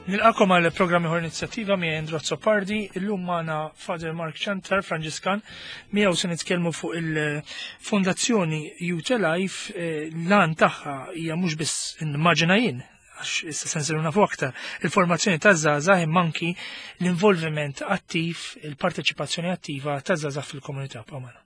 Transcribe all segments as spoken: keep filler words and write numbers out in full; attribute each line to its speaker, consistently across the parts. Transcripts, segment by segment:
Speaker 1: Nilqagħkom għal programm ieħor Inizjattiva miegħi Andrew Azzopardi, illum magħna Father Mark Ciantar, Franġiskan, miegħu se nitkellmu fuq il-Fondazzjoni Youth Alive, eh, l-għan tagħha hija mhux biss immaġina jien, għax issa se nsiru nafu aktar, il-formazzjoni taż-żgħażagħ imma anki l-involviment attiv, il-parteċipazzjoni attiva taż-żgħażagħ fil-komunità b'għamana.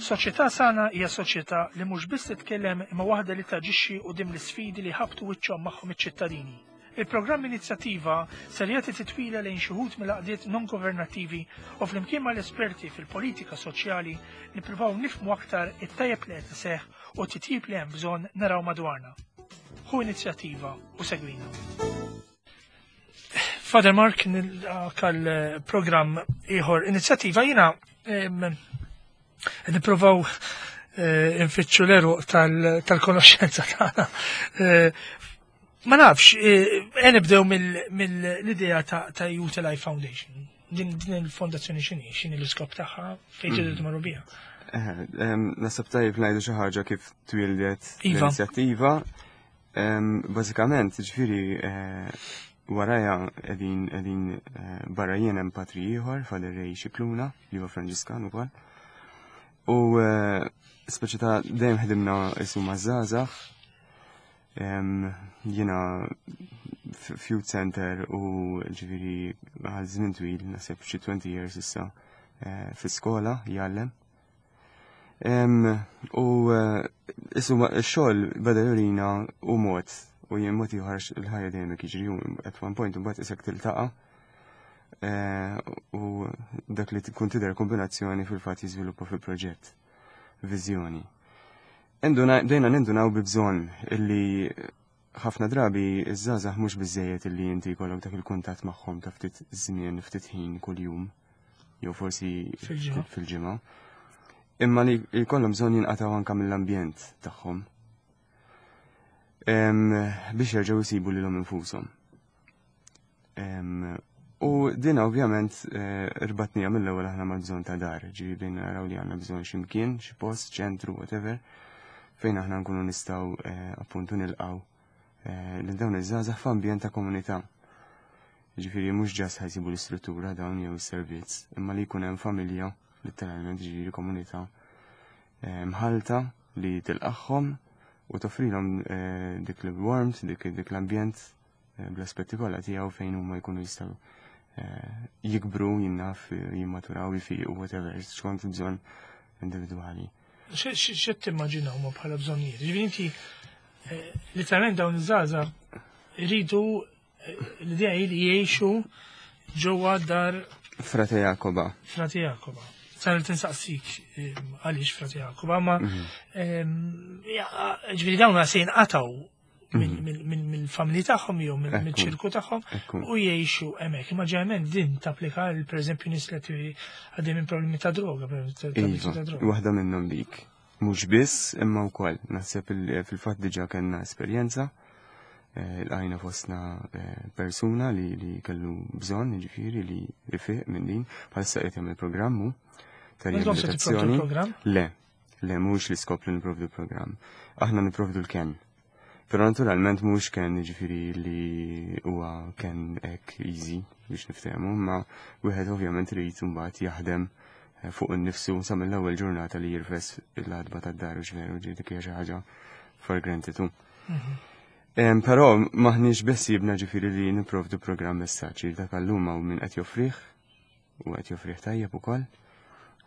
Speaker 1: Soċjetà sana hija soċjetà li mhux biss titkellem imma waħda li taġixxi quddiem l-isfidi li ħabtu wiċċhom magħhom iċ-ċittadini. Il-programm Inizjattiva ser jagħti titwila lejn xi wħud mill-għaqdiet non governattivi u flimkien mal-esperti fil-politika soċjali nippruvaw nifhmu aktar it-tajjeb li qed iseħħ u titjib li hemm bżonn naraw madwarna. Ħu inizjattiva u segwina. Father Mark, nilqgħek għal programm ieħor Inizjattiva. Jiena nipprovaw eh, nfittxu l-għeruq tal-konoxenza tagħna. Eh, ma nafx, eh, nibdew mill-idea ta' Youth Alive Foundation. Din il-fondazzjoni x'inhi, x'inhi l-iskop tagħha, fejn tridu tmorru biha?
Speaker 2: Naħseb tajjeb ngħidu xi ħaġa kif twildet
Speaker 1: Iva.
Speaker 2: l-inizjattiva. Bażikament, ġifieri warajja qegħdin qegħdin barra jien hemm patri ieħor, Father Ray Scicluna, li huwa Franġiskan ukoll. U speċi ta' dejjem ħdimna isu maż-żgħażagħ. Jiena f'Youth Center u ġifieri għal żmien twil, naħseb xi twenty years issa, fi skola jgħallem. U isu x-xogħol beda jurina u mod u jien mod ieħor il-ħajja dejjem jiġri u at one point imbagħad isek tiltaqa' u dak li tkun tidher kombinazzjoni fil-fatt jiżviluppa fil-proġett, viżjoni. Bdejna nindunaw bi bżonn illi ħafna drabi iż-żgħażagħ mhux biżejjed illi inti jkollok dak il-kuntatt magħhom ta' ftit żmien, ftit ħin kuljum, jew forsi
Speaker 1: Fil-ġimgħa.
Speaker 2: fil-ġimgħa. Imma li jkollhom bżonn jinqatgħu anke mill-ambjent tagħhom biex jerġgħu jsibu lilhom infushom. U din ovvjament eh, rbatnija mill-ewwel aħna ma' bżonn ta' dar, ġifieri bdejna naraw li għandna bżonn x'imkien, xi post, ċentru, whatever, fejn aħna nkunu nistgħu eh, appuntu nilqgħu eh, lil dawn iż-żgħażagħ f'ambjent ta' komunità. Ġifieri mhux just ħa jsibu l-istruttura dawn jew is-servizz, imma li jkun hemm familja, letteralment ġifieri komunità mħalta li tilqagħhom u toffrilhom dik l-warmth, dik dik l-ambjent bl-aspetti kollha tiegħu fejn huma jkunu jistgħu jikbru, jinnaf, jimmaturaw, jfiqu, whatever, skont bżonn individwali.
Speaker 1: X'qed timmaġinaw ma bħala bżonnijiet? Ġifieri inti literalment dawn iż-żgħażagħ iridu l-idea hi li jgħixu ġewwa dar
Speaker 2: Frate Jakoba.
Speaker 1: Frate Jakoba. Sar tinsaqsik għaliex Frate Jakoba, ma ġifieri dawn se jinqatgħu mill-familji tagħhom jew mill-ċirku tagħhom u jgħixu hemmhekk. Imma ġeneralment din tapplika għal pereżempju nies li għaddej minn problemi ta' droga,
Speaker 2: Iva, waħda minnhom dik. Mhux biss imma wkoll naħseb fil-fatt diġà kellna esperjenza lqajna fostna persuna li li kellu bżonn ġifieri li ifiq minn din, bħalissa qed jagħmel programmu ta' riabilitazzjoni. Le, le mhux l-iskop li nipprovdu programm. Aħna nipprovdu l-ken. Però naturalment mhux ken ġifieri li huwa ken hekk easy biex niftehmu, ma wieħed ovvjament irid imbagħad jaħdem fuq innifsu sa mill-ewwel ġurnata li jirfes l-għatba tad-dar u ġveru ġifieri dik hija xi ħaġa for granted. Mhm. Però maħniex biss jibna ġifieri li nipprovdu programm messaġġi dak allum u min qed joffrih u qed joffrih tajjeb ukoll.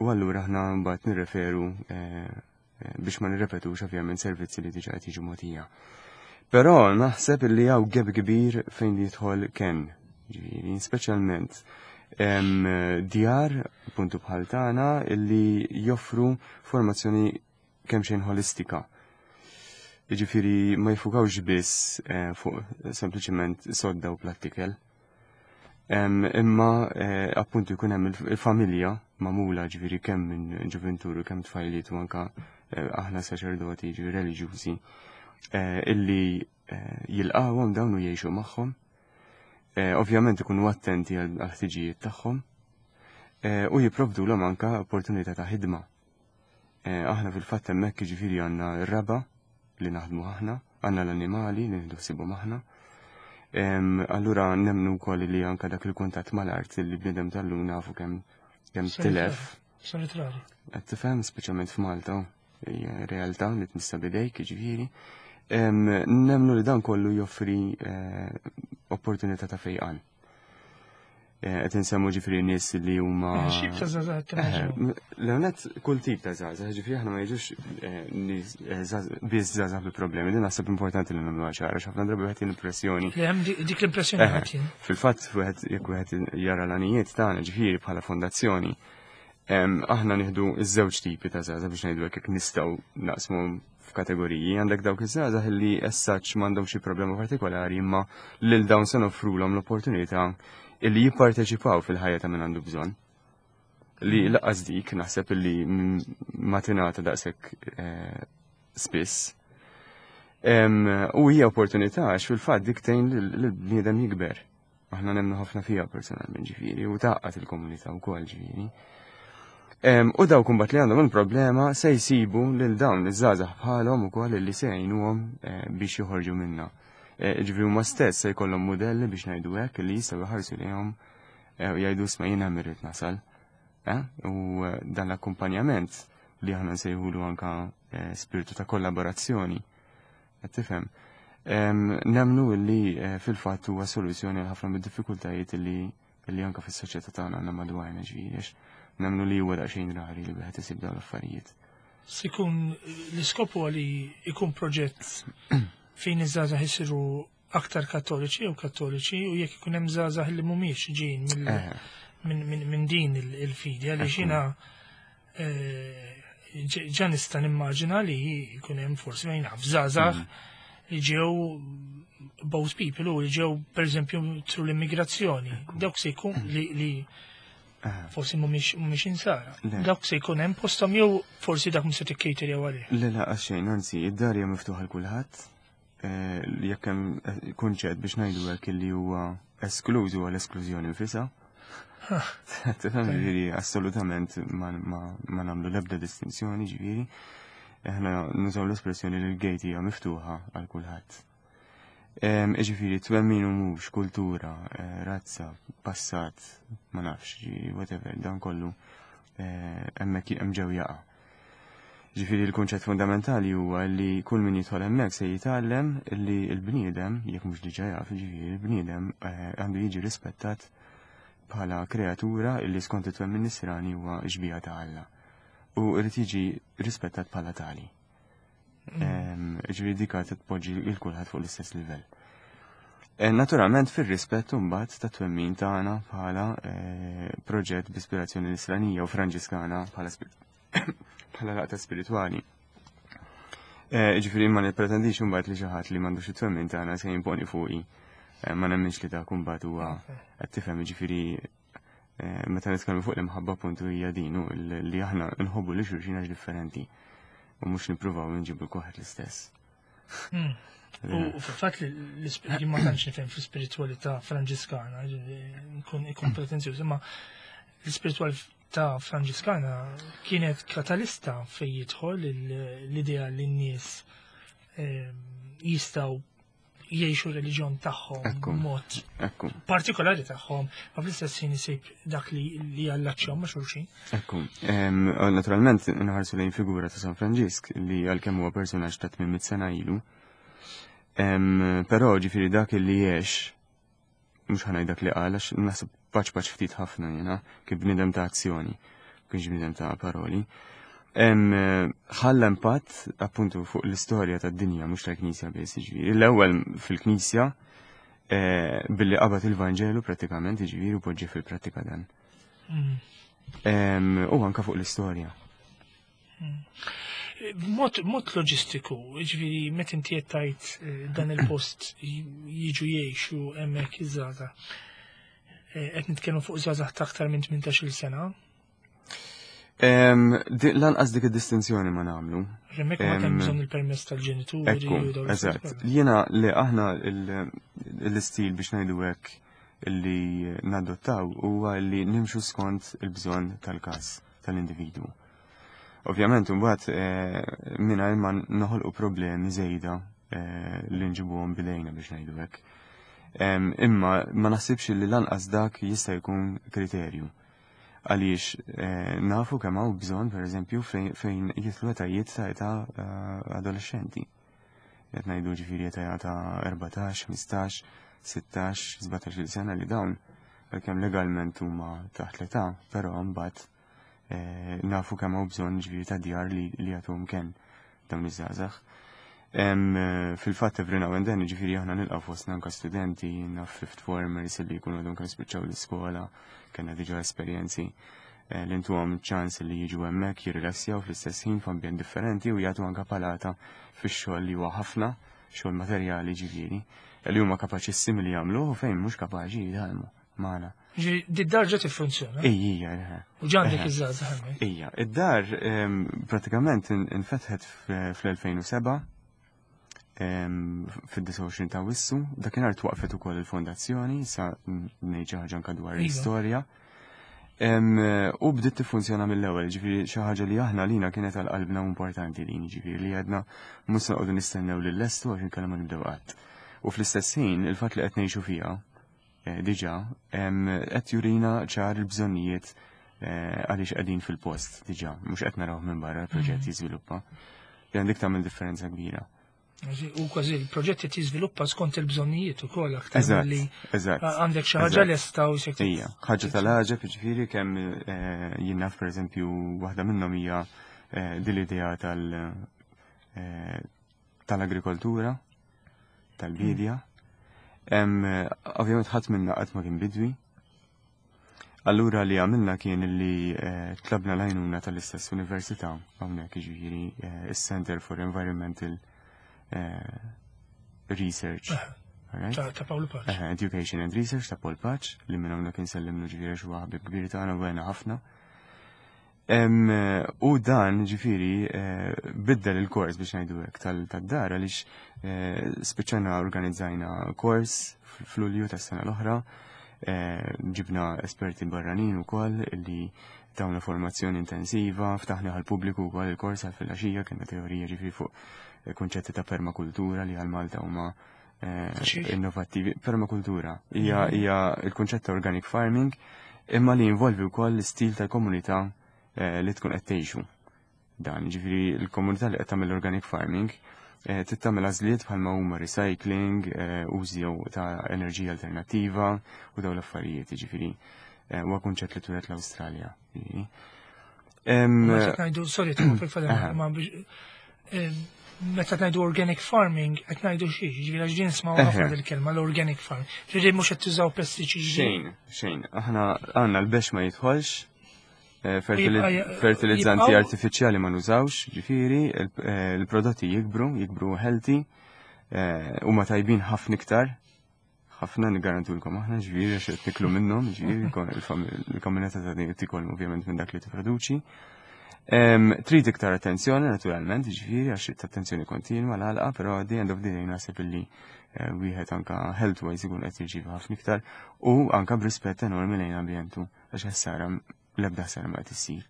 Speaker 2: U allura aħna mbagħad nirreferu eh, eh, biex ma nirrepetux ovvjament servizzi li diġà qed jiġu mogħtija. Però naħseb li hawn gap kbir fejn jidħol ken, ġifieri, speċjalment djar puntu bħal tagħna illi joffru formazzjoni kemm xejn holistika. Jiġifieri ma jfukawx biss eh, fuq sempliċement sodda u platt ikel. Imma eh, appuntu jkun hemm il-familja magħmula ġifieri kemm minn ġuventuru kemm tfajliet u anka eh, aħna saċerdoti ġifieri reliġjużi illi jilqawhom dawn u jgħixu magħhom. Ovvjament ikunu attenti għal ħtiġijiet tagħhom u jipprovdulhom anka opportunità ta' ħidma. Aħna fil-fatt hemmhekk ġifieri għandna r-raba' li naħdmu aħna. Għandna l-annimali li nieħdu ħsiebhom aħna. Allura nemmnu wkoll li anka dak il-kuntatt mal-art li bniedem tal-lum nafu kemm kemm tilef.
Speaker 1: Solitrari.
Speaker 2: Qed tifhem, speċjalment f'Malta, hija realtà li tmissa bidejk, jiġifieri. Nemmnu li dan kollu joffri eh, opportunità ta' fejqan. Qed insemmu ġifieri nies li huma.
Speaker 1: X'tip ta' żgħażagħ timmaġinaw?
Speaker 2: L-ewwel kull tip ta' żgħażagħ, ġifieri aħna ma jiġux biss żgħażagħ bi problemi, din naħseb importanti li nagħmluha ċara, ħafna drabi wieħed l-impressjoni.
Speaker 1: Li hemm dik l-impressjoni ħadd jien.
Speaker 2: Fil-fatt wieħed jekk wieħed jara l-għanijiet tagħna ġifieri bħala fondazzjoni, aħna nieħdu iż-żewġ tipi ta' żgħażagħ biex ngħidu hekk nistgħu naqsmu f'kategoriji. Għandek dawk iż-żgħażagħ li as such m'għandhom xi problema partikolari imma lil dawn se noffrulhom l-opportunità illi jipparteċipaw fil-ħajja ta' min għandu bżonn. Li lanqas dik naħseb illi ma tingħata daqshekk eh, spiss. U hija opportunità għax fil-fatt dik tgħin lill-bniedem jikber. Aħna nemmnu ħafna fiha personalment ġifieri u tgħaqqad il-komunità wkoll ġifieri. U dawk imbagħad li għandhom il-problema se jsibu lil dawn iż-żgħażagħ bħalhom ukoll li se jgħinuhom eh, biex joħorġu minna. Eh, ġifieri huma stess se jkollhom mudelli biex ngħidu hekk li jistgħu jħarsu lejhom eh, u jgħidu isma' jiena rrid nasal. U dan l-akkumpanjament li aħna nsejħulu anka spiritu ta' kollaborazzjoni. Qed tifhem? Nemmnu li fil-fatt huwa soluzzjoni għal ħafna mid-diffikultajiet li li anka fis-soċjetà tagħna għandna madwarna ġifieri nemmnu li huwa daqsxejn rari li wieħed isib dawn l-affarijiet.
Speaker 1: Se jkun l-iskop huwa li jkun proġett fejn iż-żgħażagħ isiru aktar kattoliċi jew kattoliċi u jekk ikun hemm żgħażagħ li mhumiex ġejjin minn din il-fidi għaliex jiena ġa nista' nimmaġina li jkun hemm forsi ma naf żgħażagħ li ġew both people u li ġew pereżempju through l-immigrazzjoni. Dawk se jkun li forsi mhumiex insara. Dawk se jkun hemm posthom jew forsi dak mhux se tikkejter jew għalih.
Speaker 2: Le la xejn, anzi, id-dar hija miftuħa l kulħadd. Jekk hemm kunċett biex ngħidu hekk li huwa eskluż huwa l-esklużjoni nfisha. Tifhem ġifieri assolutament ma nagħmlu l-ebda distinzjoni ġifieri. Aħna nużaw l-espressjoni li l-gate hija miftuħa għal kulħadd. Ġifieri twemmin u mhux kultura, razza, passat, ma nafx, whatever, dan kollu hemmhekk hemm ġew jaqa'. Ġifieri l-kunċett fundamentali huwa li kull min jidħol hemmhekk se jitgħallem li l-bniedem, jekk mhux diġà jaf, ġifieri l-bniedem għandu jiġi rispettat bħala kreatura illi skont it-twemmin nisrani huwa xbieha ta' Alla. U rrid jiġi rispettat bħala tali. Ġifieri dik tpoġġi lil kulħadd fuq l-istess livell. Naturalment fir-rispett imbagħad ta' twemmin tagħna bħala proġett b'ispirazzjoni nisranija u franġiskana bħala bħala laqta spiritwali. Ġifieri ma nippretendix imbagħad li xi ħadd li m'għandux it-twemmin tagħna se jimponi fuqi. Ma nemminx li dak imbagħad huwa qed tifhem ġifieri meta nitkellmu fuq l-imħabba puntu hija din li aħna nħobbu li xulxin għax differenti u mhux nippruvaw nġibu kulħadd l-istess.
Speaker 1: U fil-fatt li ma tantx nifhem fl-ispiritwalità franġiskana, nkun ikun pretenzjuż, imma l-ispiritwalità franġiskana kienet katalista fejn jidħol l-idea li n-nies jistgħu jgħixu reliġjon tagħhom mod partikolari tagħhom, ma fl-istess ħin isib dak li li jallaċċjahom ma' xulxin.
Speaker 2: Ekku, naturalment inħarsu lejn figura ta' San Franġisk li għalkemm huwa personaġġ ta' tmien mitt sena ilu. Però ġifieri dak li jgħix, mhux ħa ngħid dak li qal għax naħseb paċ paċ ftit ħafna jiena, kif bniedem ta' azzjoni, kienx bniedem ta' paroli. Ħalla impatt appuntu fuq l-istorja tad-dinja mhux tal-Knisja biss, jiġifieri. L-ewwel fil-Knisja billi qabad il-Vanġelu prattikament, jiġifieri u poġġi fil-prattika dan. U anka fuq l-istorja.
Speaker 1: Mod, mod loġistiku, ġifieri meta inti qed tgħid dan il-post jiġu jgħixu hemmhekk iż-żgħażagħ. Qed nitkellmu fuq żgħażagħ ta' aktar minn tmintax-il sena.
Speaker 2: Lanqas dik id-distinzjoni ma nagħmlu.
Speaker 1: Hemmhekk ma kemm bżonn il-permess tal-ġenituri.
Speaker 2: Ekku, eżatt. Jiena li aħna l-istil biex ngħidu hekk li nadottaw huwa li nimxu skont il-bżonn tal-każ tal-individwu. Ovvjament imbagħad mingħajr ma noħolqu problemi żejda eh, li nġibuhom bidejna biex ngħidu hekk. Em, Imma ma naħsibx li lanqas dak jista' jkun kriterju. Għaliex eh, nafu kemm hawn bżonn pereżempju fejn fejn jidħlu etajiet ta' età eh, adolescenti. Qed ngħidu ġifieri età ta' erbatax, ħmistax, sittax, sbatax-il sena li dawn għalkemm legalment huma taħt l-età, però mbagħad eh, nafu kemm hawn bżonn ġifieri ta' djar li li jagħtuhom kenn dawn iż-żgħażagħ. Em, eh, Fil-fatt every now and then ġifieri aħna nilqgħu fostna anke studenti, naf fifth formers li jkunu għadhom kemm spiċċaw l-iskola, kellna diġà esperjenzi eh, li ntuhom ċans li jiġu hemmhekk jirrilassjaw fl-istess ħin f'ambjent differenti u jagħtu anke palata fix-xogħol li huwa ħafna, xogħol materjali ġifieri, li huma kapaċissimi li jagħmlu u fejn mhux kapaċi jitgħallmu magħna.
Speaker 1: Ġifieri, di-dar ġa tiffunzjona.
Speaker 2: Ejja, eħe.
Speaker 1: U ġandek
Speaker 2: Eħe.
Speaker 1: iż-żgħażagħ hemmhekk.
Speaker 2: Ija, id-dar em, pratikament in- infetħet fl-elfejn u sebgħa, fid-disgħa u għoxrin ta' Awwissu, dakinhar twaqfet ukoll il-fondazzjoni, sa ngħid xi ħaġa anke dwar
Speaker 1: Iva.
Speaker 2: l-istorja. Em, U bdiet tiffunzjona mill-ewwel, ġifieri xi ħaġa li aħna lina kienet għal qalbna importanti din, ġifieri li għedna mhux se noqogħdu nistennew lil lestu għax inkella ma nibdew qatt. U fl-istess ħin il-fatt li qed ngħixu fiha eh, diġà em, qed jurina ċar il-bżonnijiet eh, għaliex qegħdin fil-post diġà, mhux qed naraw minn barra l-proġett
Speaker 1: Mm.
Speaker 2: jiżviluppa. Li għandek tagħmel differenza kbira.
Speaker 1: U kważi il-proġett qed jiżviluppa skont il-bżonnijiet ukoll aktar
Speaker 2: Eżatt,
Speaker 1: milli
Speaker 2: eżatt.
Speaker 1: għandek xi ħaġa
Speaker 2: eżatt.
Speaker 1: lesta u se
Speaker 2: Ija, ħaġa tal-għaġeb ġifieri kemm eh, jien naf pereżempju waħda minnhom hija eh, din l-idea tal eh, tal-agrikoltura, tal-bidja. Em, eh, Ovvjament ħadd minna qatt ma kien bidwi. Allura li għamilna kien li eh, tlabna l-għajnuna tal-istess università hawnhekk jiġifieri eh, is-Center for Environmental eh, Research. Alright?
Speaker 1: ta' ta' Paolo Pace.
Speaker 2: Eh, Education and Research ta' Paul Pace, li minn hawnhekk insellimlu ġifieri xi ħabib kbir tagħna u għena ħafna. Em, eh, U dan ġifieri eh, biddel il-kors biex ngħidu hekk tal-dar għaliex eh, spiċċajna organizzajna kors fl-Lulju tas-sena l-oħra, eh, ġibna esperti barranin ukoll li tawna formazzjoni intensiva, ftaħna għal pubbliku wkoll il-kors għal filgħaxija, kellna teorija ġifieri fuq eh, konċetti ta' permakultura li għal Malta huma eh,
Speaker 1: Xiex?
Speaker 2: innovattivi. Permakultura hija hija il-kunċett ta' organic farming imma li jinvolvi wkoll l-istil tal-komunità eh, li tkun qed tgħixu. Dan, ġifieri l-komunità li qed tagħmel organic farming eh, trid tagħmel għażliet bħalma huma recycling, eh, użi ta' enerġija alternattiva u dawn l-affarijiet, ġifieri eh, huwa kunċett li twieled l-Awstralja. ġifieri. Em,
Speaker 1: Meta ngħidu, sorry, ta' fil
Speaker 2: Aha.
Speaker 1: ma biex eh, meta ngħidu organic farming qed ngħidu xi, ġifieri għax din nismgħu ħafna
Speaker 2: Eħe.
Speaker 1: dil-kelma l-organic farming. Ġifieri mhux qed tużaw pestiċidi.
Speaker 2: Xejn, xejn. Aħna għandna l-bex ma jidħolx, eh, fertili-
Speaker 1: Jibqa'
Speaker 2: fertilizzanti
Speaker 1: jibqgħu-
Speaker 2: artifiċjali ma nużawx, ġifieri, il- eh, il-prodotti jikbru, jikbru healthy, eh, huma tajbin ħafna iktar. Ħafna nigarantulkom aħna, ġifieri, għax qed niklu minnhom, ġifieri, il-komunità ta' din tikol ovvjament minn dak li tipproduċi. Em, Trid iktar attenzjoni, naturalment, ġifieri, għax trid attenzjoni kontinwa l-għalqa, però at the end of the day naħseb illi eh, wieħed anka health-wise ikun qed jirċievi ħafna iktar u anka b'rispett enormi lejn ambjentu għax ħsara l-ebda ħsara ma qed issir.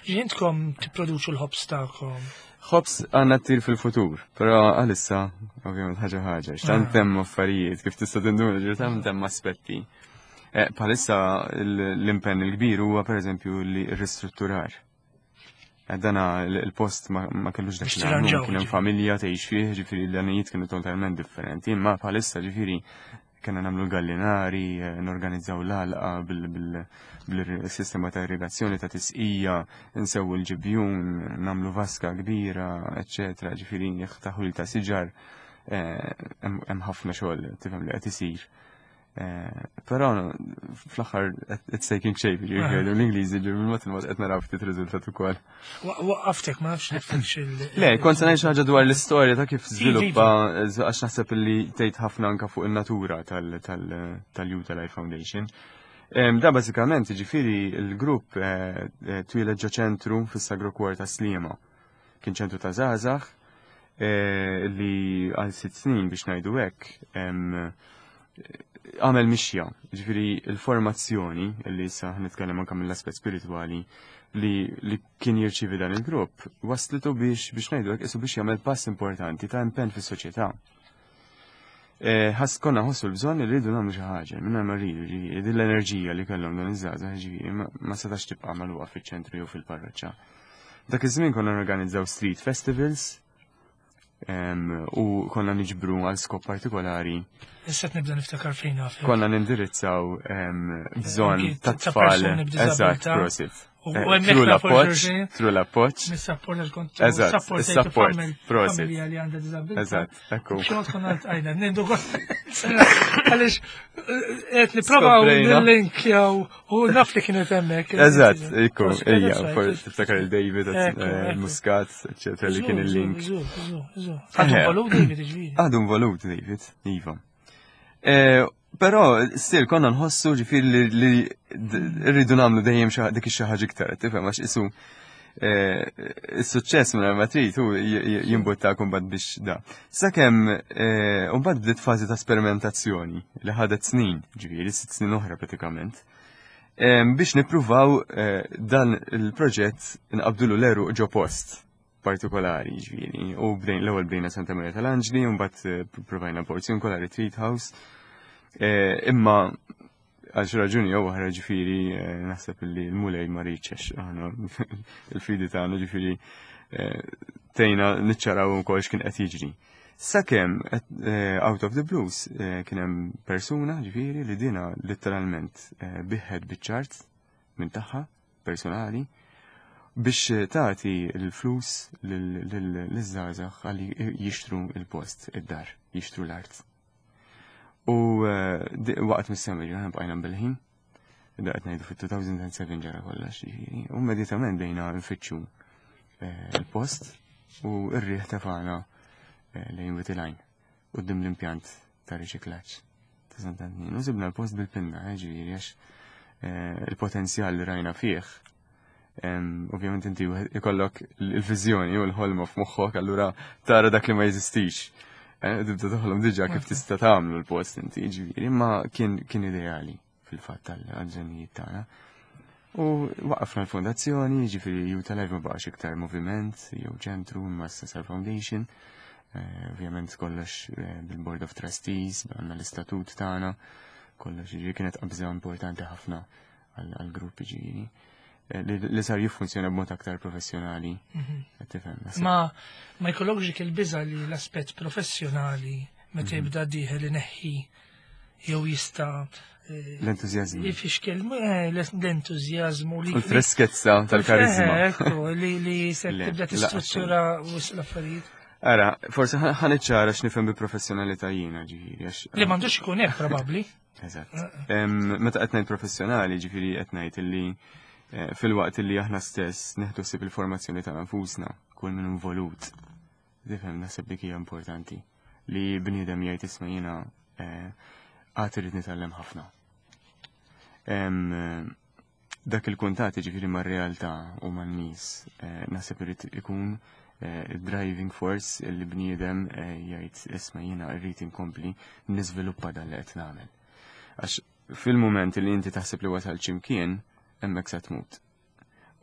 Speaker 1: Ġifieri intkom tipproduċu l-ħobż tagħkom.
Speaker 2: Ħobż għandna t-tir fil-futur, però għalissa ovvjament ħaġa ħaġa, x'tant
Speaker 1: Ah.
Speaker 2: hemm affarijiet kif tista' tinduna ġifieri tant hemm aspetti. Eh, Bħalissa l-impenn il-kbir huwa pereżempju li ristrutturar. Eh, Dana il-post ma ma kellux dak
Speaker 1: Biex
Speaker 2: l-għan,
Speaker 1: tirranġaw,
Speaker 2: kien hemm
Speaker 1: ġifieri.
Speaker 2: familja tgħix fih, ġifieri l-għanijiet kienu totalment differenti, imma bħalissa ġifieri kena nagħmlu l-gallinari, eh, norganizzaw l-għalqa bil-sistema ta' irrigazzjoni ta' tisqija, nsewu l-ġibjun, nagħmlu vaska kbira, eccetera, ġifieri taħwil ta' siġar, eh, hemm hemm ħafna xogħol tifhem li qed isir. Eh, Però fl-aħħar it's taking shape, ġifieri l-Ingliżi ġifieri bil-mod il-mod qed naraw ftit riżultat ukoll.
Speaker 1: Wa- Waqqaftek ma nafx niftekx il-
Speaker 2: Le, kont se ngħid xi ħaġa dwar l-istorja ta' kif żviluppa
Speaker 1: Iva.
Speaker 2: għax naħseb li tgħid ħafna anka fuq in-natura tal-Youth Alive Foundation. Em, Da bażikament ġifieri il-grupp eh, eh, twieled ġo ċentru fis-Sagro Cuore ta' Sliema. Kien ċentru ta' żgħażagħ eh, li għal sitt snin biex ngħidu hekk em, Għamel mixja, ġifieri il-formazzjoni, li issa nitkellem anke mill-aspett spiritwali, li, li kien jirċivi dan il-grupp, waslitu biex biex ngħidu hekk isu biex jagħmel pass importanti ta' impenn fis-soċjetà. Eh, ħass konna ħossu l-bżonn li rridu nagħmlu xi ħaġa, minn ma rridu, ġifieri, din l-enerġija li kellhom dan iż-żgħażagħ, ġifieri, ma ma setax tibqa' magħluqa fiċ-ċentru jew fil-parroċċa. Dak iż-żmien konna norganizzaw street festivals em, u konna niġbru għal skop partikolari.
Speaker 1: Issa nibda niftakar fejn naf.
Speaker 2: Konna nindirizzaw em, bżonn
Speaker 1: Anki
Speaker 2: ta'
Speaker 1: ta'
Speaker 2: tfal.
Speaker 1: persuni b'diżabilità.
Speaker 2: Eżatt, prosit.
Speaker 1: U
Speaker 2: Eh,
Speaker 1: hemmhekk
Speaker 2: Through
Speaker 1: nafu
Speaker 2: l-appoġġ,
Speaker 1: xulxin.
Speaker 2: through l-appoġġ.
Speaker 1: Mis-support kont
Speaker 2: Eżatt, is-support, prosit.
Speaker 1: Familja li għandha diżabilità.
Speaker 2: Eżatt, ekku.
Speaker 1: Xogħol konna għajna, nindu għaliex qed nipprovaw
Speaker 2: Skoprejna.
Speaker 1: nil-linkjaw u naf li kienet hemmhekk.
Speaker 2: Eżatt, ekku,
Speaker 1: Prosit,
Speaker 2: ejja,
Speaker 1: that's right.
Speaker 2: for tiftakar il-David,
Speaker 1: Ekku,
Speaker 2: eh,
Speaker 1: ekku.
Speaker 2: Muscat, eccetera, li kien il-link.
Speaker 1: Żu, żu, żu. Għadu
Speaker 2: Eh.
Speaker 1: involut David, ġifieri.
Speaker 2: Għadu involut David, iva. Eh, Però, still, konna nħossu ġifieri li li d- rridu nagħmlu dejjem xi- dik ix-xi ħaġa iktar, tifhem, għax isu eh, is-suċċess minn ma trid hu j- j- jimbutta mbagħad biex da. Sakemm eh, mbagħad bdiet fażi ta' sperimentazzjoni li ħadet snin, ġifieri sitt snin oħra pratikament. Em, biex nippruvaw eh, dan il-proġett nqabdulu l-għeruq ġo post partikolari, ġifieri. U bdejn l-ewwel bdejna Santa Maria tal-Anġli, u mbagħad eh, provajna Porziuncola Retreat House. Eh, Imma għal xi raġuni jew oħra ġifieri eh, naħseb li l-Mulej ma riedx aħna il-fidi tagħna ġifieri eh, tejna niċċaraw ukoll x'kien qed jiġri. Sakemm eh, out of the blues eh, kien hemm persuna ġifieri li dina letteralment eh, biegħet biċċa art minn tagħha personali biex tagħti l-flus liż-żgħażagħ għalli jixtru il-post, id-dar, jixtru l-art. U eh, di- waqt mis-sema ġifieri bqajna bil-ħin, da qed ngħidu fit-elfejn u sebgħa ġara kollox ġifieri. U immedjatament bdejna nfittxu eh, il-post u r-riħ tefana eh, lejn Wied il-Għajn quddiem l-impjant ta' riċiklaġġ ta' Sant'Antnin. U sibna l-post bil-pinna, eh, ġifieri għax eh, il-potenzjal li rajna fih. em, Ovvjament inti wieħed ikollok il-viżjoni u l-ħolma f'moħħok, allura tara dak li ma jeżistix. Eh, Tibda toħlom diġà kif tista' tagħmlu l-post inti, ġifieri, imma kien kien ideali fil-fatt għal-bżonnijiet tagħna. U waqafna l-fondazzjoni, ġifieri Youth Alive ma baqax iktar moviment, jew ċentru, imma issa sar foundation. Eh, Ovvjament kollox eh, bil-Board of Trustees, għandna l-istatut tagħna, kollox ġifieri kienet qabża importanti ħafna għal-gruppi ġifieri. Eh, Li li sar jiffunzjona b'mod aktar professjonali. Qed tifhem, naħseb.
Speaker 1: Ma ma jkollokx dik il-biża li l-aspett professjonali meta jibda dieħel ineħħi jew jista' eh,
Speaker 2: L-entużjażmu.
Speaker 1: jifixkel eh, l-entużjażmu li
Speaker 2: U l-freskezza tal-karizma.
Speaker 1: Eh, Ekku, li li se
Speaker 2: Le,
Speaker 1: tibda
Speaker 2: la,
Speaker 1: tistruttura wisq l-affarijiet.
Speaker 2: Ara, forse ħa niċċara x'nifhem bi professjonalità jiena ġifieri għax.
Speaker 1: Li m'għandux ikun hekk probabbli.
Speaker 2: Eżatt. Em, Meta qed ngħid professjonali, ġifieri qed ngħid illi eh, fil-waqt illi aħna stess neħdu ħsieb il-formazzjoni tagħna nfusna, kull min involut. Tifhem, naħseb dik hija importanti li bniedem jgħid, "Isma', jiena eh, għad irrid nitgħallem ħafna." Em, eh, Dak il-kuntat ġifieri mar-realtà u man-nies eh, naħseb irid ikun eh, driving force li bniedem eh, jgħid, "Isma', jiena rrid inkompli niżviluppa dan li qed nagħmel." Għax fil-moment li inti taħseb li wasal x'imkien, hemmhekk sa tmut.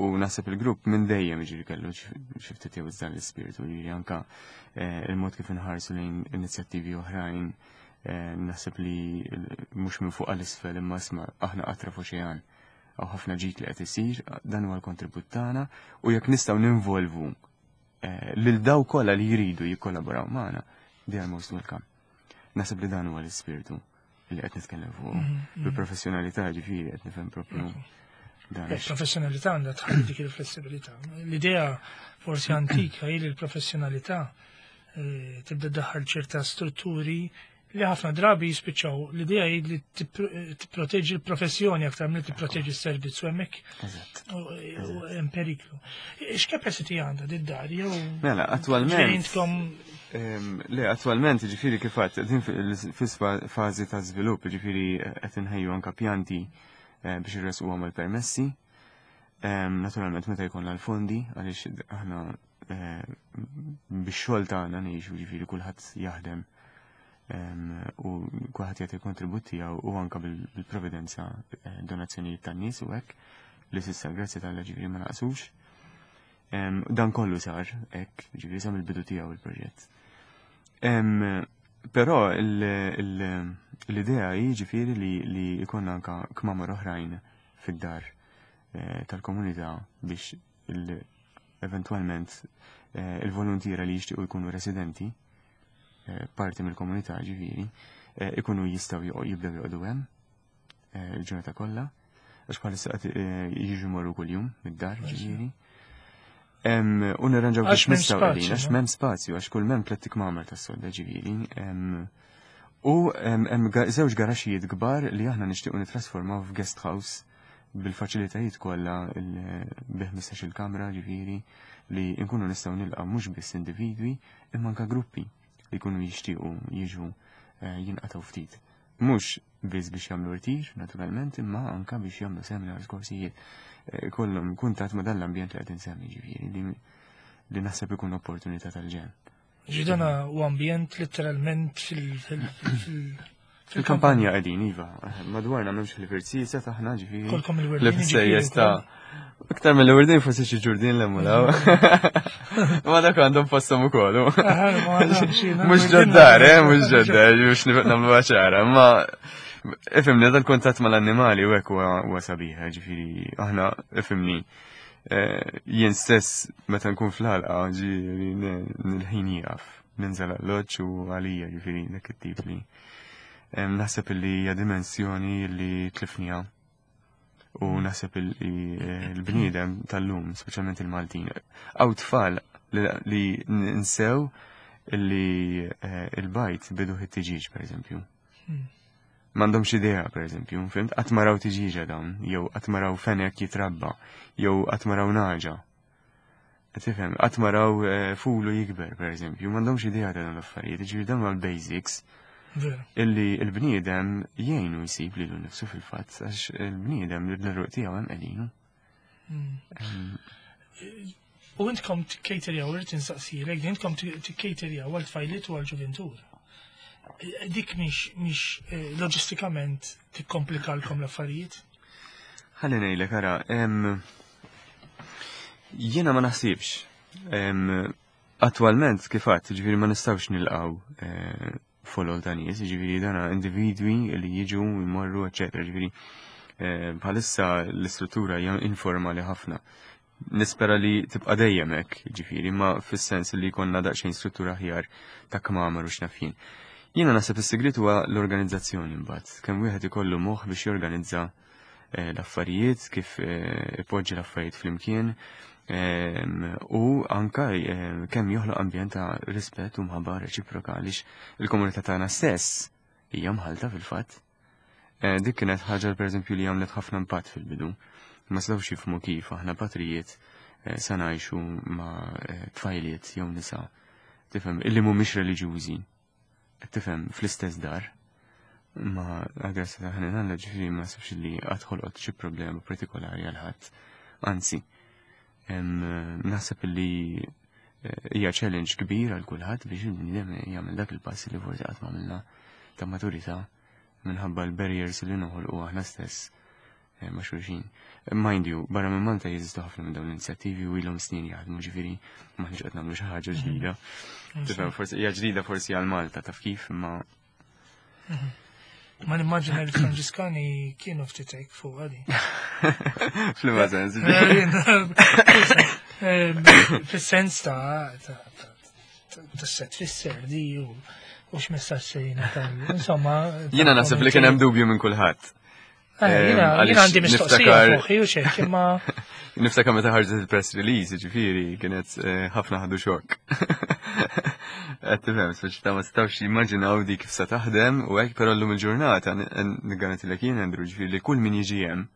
Speaker 2: U naħseb il-grupp minn dejjem ġifieri kellu xi ftit jew dan l-ispirtu, ġifieri anka eh, il-mod kif inħarsu lejn inizjattivi oħrajn, eh, naħseb li mhux minn fuq għal isfel imma isma', aħna qatra f'oċean. Hawn ħafna ġid li qed isir, dan huwa l-kontribut tagħna u jekk nistgħu ninvolvu eh, lil daw kollha li jridu jikkollaboraw magħna, they are most welcome. Naħseb li dan huwa l-ispirtu li qed nitkellem fuq. Bil-professjonalità ġifieri qed nifhem propju dan.
Speaker 1: Il-professjonalità għandha tħalli dik il-flessibilità. L-idea forsi antika hi li l-professjonalità eh, tibda daħal ċerta strutturi li ħafna drabi jispiċċaw l-idea hi li tipproteġi l-professjoni aktar milli tipproteġi s-servizz u hemmhekk
Speaker 2: Eżatt.
Speaker 1: u hemm periklu. X'capacity għandha did-dar jew
Speaker 2: Mela, attualment.
Speaker 1: ġifieri intkom
Speaker 2: Em, Le, attualment, ġifieri kif għedt, din fil-fażi ta' żvilupp, ġifieri qed inħejju anka pjanti eh, biex irresquhom il-permessi. Em, Naturalment, meta jkollna l-fondi, għaliex aħna eh, bix-xogħol tagħna ngħixu, ġifieri kulħadd jaħdem U kulħadd jagħti kontribut tiegħu u anke bil-providenza eh, donazzjonijiet tan-nies u hekk li s'issa, grazzi t'Alla, ġifieri ma naqsux. Dan kollu sar hekk, ġifieri sa mill-bidu tiegħu il-proġett. Però l-idea hi ġifieri li jkollna anke kmamar oħrajn fid-dar eh, tal-komunità biex eventualment eh, il-volontiera li jixtiequ jkunu residenti eh, parti mill-komunità, ġifieri, ikunu jistgħu jibdew joqogħdu hemm il-ġurnata kollha, għax bħalissa qed jiġu morru kuljum mid-dar, ġifieri. U nirranġaw kif nistgħu qegħdin, għax m'hemm spazju, għax kull m'hemm tliet kmamar tas-sodda, ġifieri. U hemm żewġ garaxijiet kbar li aħna nixtiequ nitrasformaw f'guest house bil-faċilitajiet kollha, bi ħmistax il-kamra, ġifieri li nkunu nistgħu nilqa' mhux biss individwi imma anke gruppi li jkunu jixtiequ jiġu eh, jinqatgħu ftit. Mhux biss biex jagħmlu rtir, naturalment, imma anke biex jagħmlu seminars, korsijiet, eh, kollhom kuntatt ma' dan l-ambjent li qed insemmi, ġifieri li li naħseb ikun opportunità tal-ġenn.
Speaker 1: Ġidana u ambjent literalment fil-
Speaker 2: Fil-kampanja qegħdin, iva. Madwarna m'hemmx li taħna, ġifieri.
Speaker 1: Kolkom il-wirdin.
Speaker 2: Li ta' iktar mill-wirdin forsi xi ġurdin l mulaw. Ma dak għandhom postom ukoll. Mhux ġoddar, eh, mhux ġoddar, mhux nagħmlu ċara, ma ifhimni, dal-kuntatt mal-annimali u hekk huwa sabiħ, ġifieri aħna, ifhimni, eh, jien stess meta nkun fl-ħalqa, ġifieri nil-ħin jieqaf, ninżel l-loċ u għalija, ġifieri dak it-tip li naħseb li hija dimensjoni li tlifnija u naħseb li l-bniedem tal-lum, speċjalment il-Maltin, għaw tfal li nsew li eh, il-bajd bidu it-tiġiġ, per eżempju. Hmm. M'għandhomx idea, per eżempju, fhimt? Qatt ma raw tiġiġa dawn, jew qatt ma raw fenek jitrabba, jew qatt ma raw nagħġa. Tifhem, qatt ma raw eh, fulu jikber, per eżempju, m'għandhomx idea ta' dawn l-affarijiet, ġifieri dawn l-basics illi l-bniedem jgħinu jsib lilu nnifsu fil-fatt, għax il-bniedem li l-ruq tiegħu hemm qegħdinu.
Speaker 1: Hmm. U intkom tikkejterjaw, irrid insaqsilek, intkom tikkejterjaw għal tfajliet u għal ġuventur. Dik mhix mhix eh, loġistikament tikkomplikalkom l-affarijiet?
Speaker 2: Ħalli ngħidlek, ara, jiena ma naħsibx. Attualment, kif għedt, ġifieri ma nistgħux nilqgħu eh, folol ta' nies, ġifieri dana individwi li jiġu, jmorru, eccetera. Ġifieri eh, bħalissa l-istruttura hija informali ħafna. Nispera li tibqa' dejjem hekk, ġifieri, ma fis-sens li jkollna daqsxejn struttura aħjar ta' kmamar u x'naf jien. Jiena naħseb is-sigriet huwa l-organizzazzjoni mbagħad. Kemm wieħed ikollu moħħ biex jorganizza eh, l-affarijiet, kif eh, ipoġġi l-affarijiet flimkien, u anka kemm joħloq ambjent ta' rispett u mħabba reċiproka, għaliex il-komunità tagħna stess hija mħalta fil-fatt. Eh, dik kienet ħaġa, pereżempju, li għamlet ħafna impatt fil-bidu. Ma setgħux jifhmu kif aħna patrijiet eh, sa ngħixu ma' eh, tfajliet jew nisa, tifhem, illi mhumiex reliġjużi. Tifhem, fl-istess dar. Ma għal-grazzja ta' ħanin, ġifieri ma sibx li qatt ħolqot xi problema partikolari għal ħadd. Anzi, naħseb li eh, hija challenge kbir għal kulħadd biex il-bniedem jagħmel dak il-pass li forsi qatt m'għamilna ta' maturità minħabba l-barriers li noħolqu aħna stess eh, ma' xulxin. Mind you, barra minn Malta jeżistu ħafna minn dawn l-inizjattivi u ilhom snin jaħdmu, ġifieri m'aħniex qed nagħmlu xi ħaġa mhm. ġdida. Tifhem, forsi hija ġdida forsi għal Malta, taf kif, imma
Speaker 1: mhm. Ma nimmaġina li Franġiskani kienu ftit hekk fuq għadi.
Speaker 2: F'liema sens?
Speaker 1: Eh, fis-sens ta' ta' set fisser di u u x'messaġġ se jingħata. Insomma.
Speaker 2: Jiena naħseb li kien hemm dubju minn kulħadd.
Speaker 1: Eh, jiena għandi mistoqsija moħħi u xek, imma.
Speaker 2: Niftakar meta ħarġet il-press release, ġifieri, kienet eh, ħafna ħadu xokk. Qed tifhem, speċi ta' ma setgħux jimmaġinaw di kif sa taħdem u hekk, però llum il-ġurnata niggarantilek jien, Andrew, ġifieri li kull min jiġi hemm,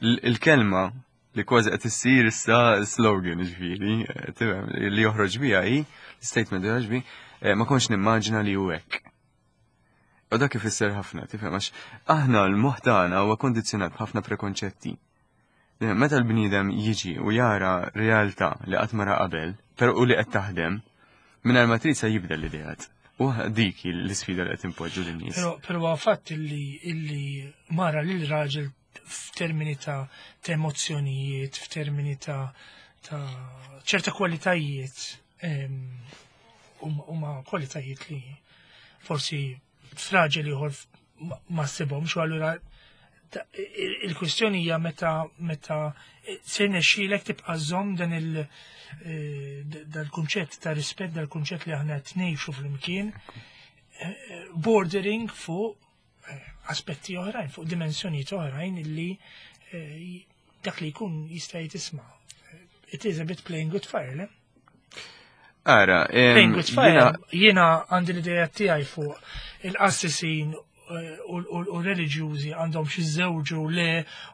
Speaker 2: il-kelma li kważi qed issir issa slogan, ġifieri, tifhem, li joħroġ biha hi, statement joħroġ bi, eh, "Ma kontx nimmaġina li hu hekk." U dak ifisser ħafna, tifhem, għax aħna l-moħħ tagħna huwa kondizzjonat b'ħafna prekonċetti. Meta l-bniedem jiġi u jara realtà li qatt ma ra qabel, però u li qed taħdem, mingħajr ma trid se jibdel l-ideat. U dik l-isfida li qed impoġġu lin-nies.
Speaker 1: Però però fatt illi illi mara lil raġel f'termini ta' ta' emozzjonijiet, f'termini ta' ta' ċerta kwalitajiet huma kwalitajiet li forsi f'raġel ieħor ma ssibhomx, u allura il-kwistjoni hija meta meta se nexxielek tibqa' żomm dan il dal-kunċett ta' rispett, dal-kunċett li aħna qed ngħixu flimkien, bordering fuq aspetti oħrajn, fuq dimensjonijiet oħrajn illi dak li jkun jista' jitisma'. It is a bit playing with fire, le?
Speaker 2: Ara,
Speaker 1: playing with fire, jiena għandi l-idea tiegħi fuq il-qassisin u reliġjużi għandhom xi żewġu le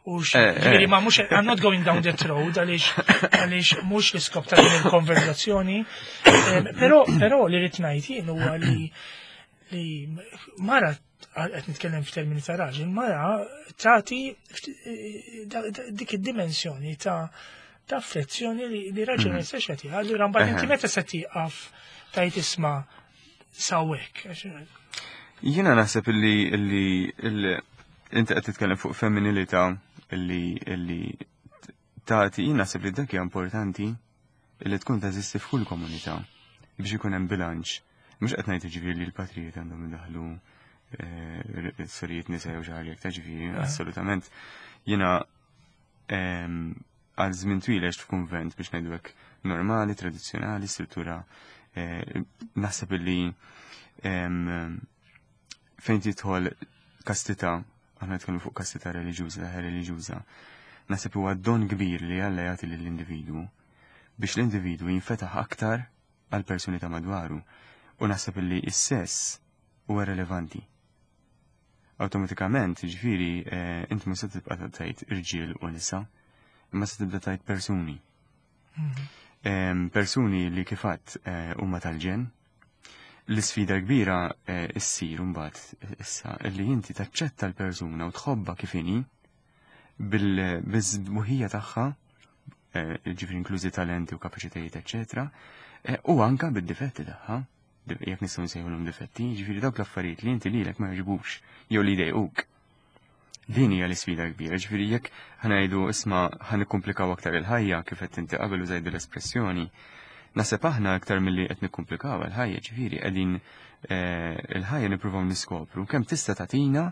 Speaker 1: u ġifieri ma mhux, I'm not going down that road, għaliex għaliex mhux l-iskop ta' din il-konverzazzjoni. Però però li rrid ngħid jien huwa li li mara, qed nitkellem f'termini ta' raġel, mara tagħti dik id-dimensjoni ta' ta' affezzjoni li raġel ma jistax jagħtiha. Allura mbagħad inti meta se tieqaf tajt isma' sawek.
Speaker 2: Jiena naħseb illi illi inti qed titkellem fuq femminilità illi illi tagħti, jien naħseb li dak hija importanti illi tkun teżisti f'kull komunità biex ikun hemm bilanċ. Mhux qed ngħid ġifieri li l-patrijiet għandhom idaħlu sorijiet nisa jew xi ħaġa ta' ġifieri, assolutament. Jiena għal żmien twil għext f'kunvent biex ngħidu hekk normali, tradizzjonali, struttura, naħseb illi fejn tidħol kastità, aħna nitkellmu fuq kastità reliġjuża, reliġjuża, naħseb huwa don kbir li Alla jagħti lill-individwu biex l-individwu jinfetaħ aktar għal persuni ta' madwaru, u naħseb illi s-sess huwa relevanti. Awtomatikament, ġifieri, inti mhux se tibqa' tgħid irġiel u nisa, imma se tibda tgħid persuni. Persuni li kif għedt huma tal-ġen. L-isfida kbira issir mbagħad issa illi inti taċċetta l-persuna u tħobbha kif inhi bil-sbuħija tagħha, ġifieri inklużi talenti u kapaċitajiet, eċċetera, u anka bid-difetti tagħha, jekk nistgħu nsejħulhom difetti, ġifieri dawk l-affarijiet li inti lilek ma jogħġbux jew li jdejquk. Din hija l-isfida kbira, ġifieri jekk ħanajdu isma' ħanikkumplikaw aktar il-ħajja kif qed inti qabel użajt l-espressjoni, naħseb aħna aktar milli qed nikkumplikaw il-ħajja, ġifieri qegħdin il-ħajja nippruvaw niskopru kemm tista' tagħtina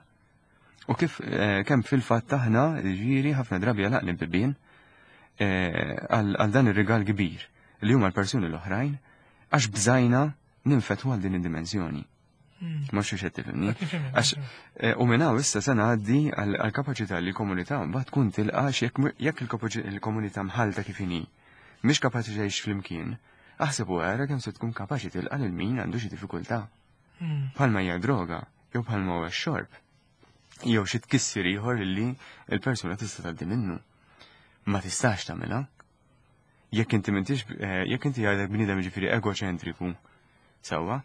Speaker 2: u kif kemm fil-fatt aħna ġifieri ħafna drabi għalaqni bibien għal dan ir-rigal kbir li huma l-persuni l-oħrajn għax bżajna ninfetħu għal din id-dimensjoni. Ma xiex qed tifhimni. Għax u minn hawn issa se ngħaddi għall-kapaċità li l-komunità mbagħad tkun tilqa' jekk il-komunità mħalta kif inhi mhix kapaċi tgħix flimkien, aħseb u ara kemm se tkun kapaċi tilqa' lil min għandu xi diffikultà. Bħalma hija droga, jew bħalma huwa x-xorb, jew xi tkissir ieħor illi l-persuna tista' tgħaddi minnu. Ma tistax tagħmilha. Jekk inti m'intix, jekk inti għadek bniedem ġifieri egoċentriku, sewwa,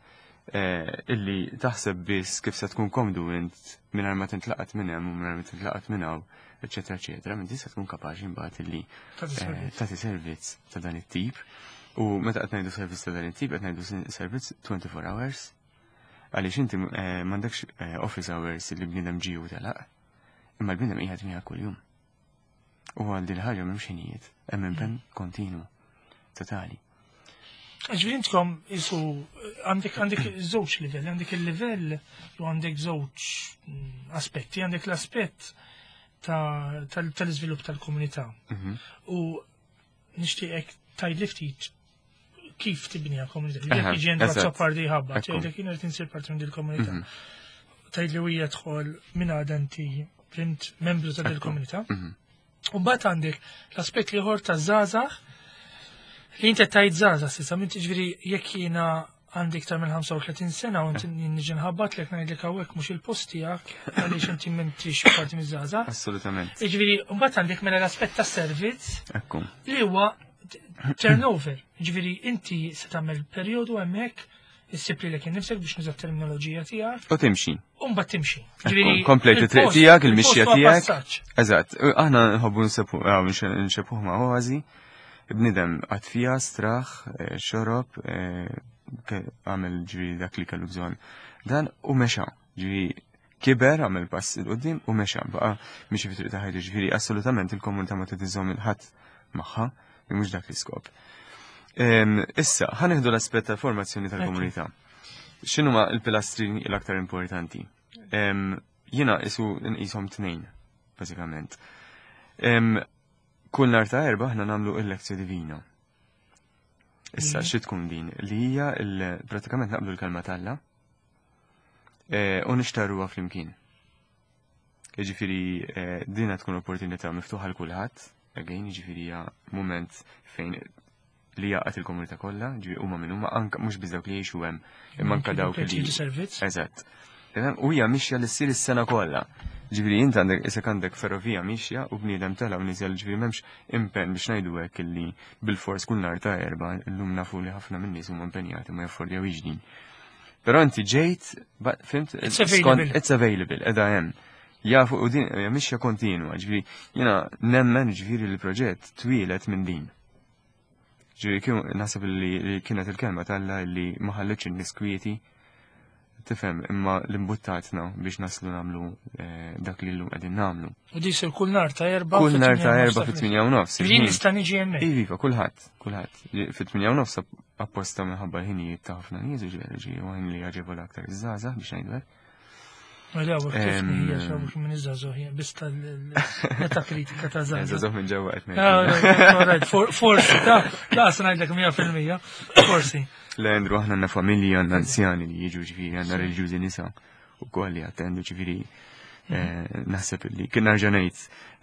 Speaker 2: illi taħseb biss kif se tkun komdu int mingħajr ma tintlaqat minn hemm u mingħajr ma tintlaqat minn hawn, eċetera, eċetera, m'inti se tkun kapaċi mbagħad illi tagħti servizz ta' dan it-tip. U meta qed ngħidu servizz ta' dan it-tip, qed ngħidu servizz twenty-four hours, għaliex inti m'għandekx office hours li bniedem ġie u telaq, imma l-bniedem qiegħed miegħek kuljum. U għal din ħaġa m'hemmx ħinijiet, hemm impenn kontinu, totali.
Speaker 1: Ġifieri intkom isu għandek għandek żewġ livell, għandek il-livell u għandek żewġ aspetti, għandek l-aspett tal-iżvilupp tal-komunità. U nixtieqek tgħidli ftit kif tibniha komunità. Jekk jiġi għandu Azzopardi ħabba, tgħidlek jien qed insir parti minn dil-komunità. Tgħidli hija dħol minn għadha inti fhimt membru ta' dil-komunità. U mbagħad għandek l-aspett ieħor ta' żgħażagħ li inti tajt żgħażagħ s'issa, minn tiġifieri jekk jiena għandi iktar minn ħamsa u tletin sena u inti niġi nħabbat lek ngħidlek hawnhekk mhux il-post tiegħek għaliex inti m'intix parti miż-żgħażagħ.
Speaker 2: Assolutament.
Speaker 1: Jiġifieri mbagħad għandek mela l-aspett tas-servizz li huwa turnover. Jiġifieri inti se tagħmel perjodu hemmhekk issib lilek innifsek biex nuża t-terminoloġija tiegħek.
Speaker 2: U timxi.
Speaker 1: U mbagħad timxi.
Speaker 2: Ġifieri komplejt it-triq tiegħek, il-mixja tiegħek. Eżatt, aħna nħobbu nxebbuh ma' oażi. Bnidem għad fija, straħ, xorob, għamel ġifieri dak li kellu bżonn. Dan u mexa, ġifieri kiber, għamel pass 'il quddiem u mexa, baqa' miexi fi triq ta' ħajtu, ġifieri assolutament il-komunità ma trid iżżomm 'il ħadd magħha, li mhux dak l-iskop. Issa, ħa nieħdu l-aspett tal-formazzjoni tal-komunità. X'inhuma l-pilastri l-aktar importanti? Jiena isu nqishom tnejn, bażikament. Kull nhar ta' Erbgħa aħna nagħmlu il-Lectio Divina. Issa, xi tkun din? Li hija pratikament naqblu l-kelma t'Alla e, u nixtarruha flimkien. Jiġifieri e, dina tkun opportunità miftuħa l kulħadd, again, jiġifieri hija mument fejn li jgħaqqad il-komunità kollha, ġifieri huma minn huma anke mhux biss dawk li jgħixu hemm, imma anke dawk li.
Speaker 1: Servizz.
Speaker 2: Eżatt. U hija mixja li ssir is-sena kollha. Ġifieri int għandek isek għandek ferrovija mixja u bniedem tela' u niżel, ġifieri m'hemmx impenn biex ngħidu hekk illi bil-fors kull nhar ta' Erbgħa. Illum nafu li ħafna min-nies huma impenjati, ma jaffordjawx din. Però inti ġejt, fhimt,
Speaker 1: It's available.
Speaker 2: It's available, qiegħda hemm. Jafu u din hija mixja kontinwa, ġifieri jiena nemmen ġifieri li l-proġett twieled minn din. Ġifieri kien naħseb li kienet il-kelma t'Alla li ma ħallitx in-nies kwieti, tifhem, imma l-imbuttatna biex naslu nagħmlu eh, dak li llum qegħdin nagħmlu.
Speaker 1: U di sir kull nhar ta' Erbgħa.
Speaker 2: Kull nhar ta' Erbgħa fit-tmienja u nofs.
Speaker 1: Ġifieri nista' niġi hemmhekk.
Speaker 2: Iva, kulħadd, kulħadd. Fit-tmienja u nofs apposta minħabba l-ħinijiet ta' ħafna nies u ġifieri ġi għajn li jaġevola aktar iż-żgħażagħ biex ngħidu hekk.
Speaker 1: Mela, kif hija xi minn iż-żgħażagħ, biss tal-meta kritika ta' żgħażagħ.
Speaker 2: Żgħażagħ minn ġewwa qed ngħid.
Speaker 1: Forsi, ta' laqas ngħidlek mija fil-mija, forsi.
Speaker 2: Le, Andrew, aħna għandna familji, għandna anzjani li jiġu, ġifieri, għandna reliġjużi nisa u koll li attendu, ġifieri eh, naħseb li kien nerġa' ngħid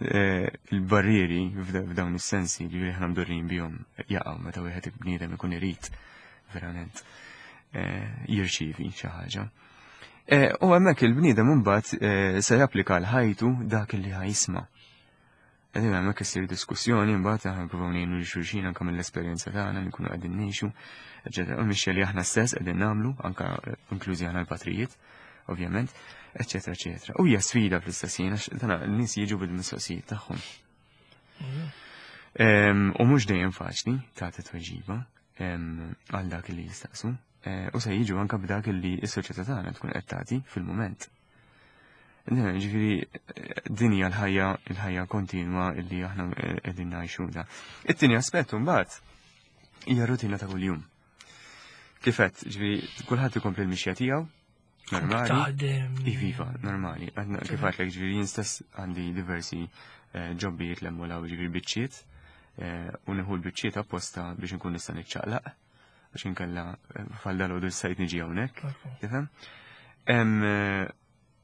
Speaker 2: eh, il-barrieri f'dawn is-sensi li aħna mdorrin bihom jaqgħu meta wieħed bniedem ikun irid verament eh, jirċievi xi ħaġa. U hemmhekk il-bniedem imbagħad se japplika l-ħajtu dak li ħa jisma'. Qegħdin hemmhekk issir diskussjoni, mbagħad aħna nippruvaw ngħinu lil xulxin anke mill-esperjenza tagħna li nkunu qegħdin ngħixu, eċetera. U mixja li aħna stess qegħdin nagħmlu, anke inklużi aħna l-patrijiet, ovvjament, eċetera, eċetera. U hija sfida fl-istess ħin għax dana n-nies jiġu bil-mistoqsijiet tagħhom. U mhux dejjem faċli tagħti tweġiba għal dak li jistaqsu. Eh, u se jiġu anke b'dak li s-soċjetà tagħna tkun qed tagħti fil-mument. Ġifieri din hija l-ħajja il-ħajja kontinwa illi aħna qegħdin ngħixu da. It-tieni aspett mbagħad hija rutina ta' kuljum. Kif għedt, ġifieri kulħadd ikompli l-mixja tiegħu, normali. Iviva, normali. Kif għedtlek, ġifieri jien stess għandi diversi eh, ġobbijiet l ġifieri biċċiet, eh, u nieħu l-biċċiet apposta biex nkun nista' niċċaqlaq biex inkella eh, falda l sajt niġi hawnhekk. Tifhem?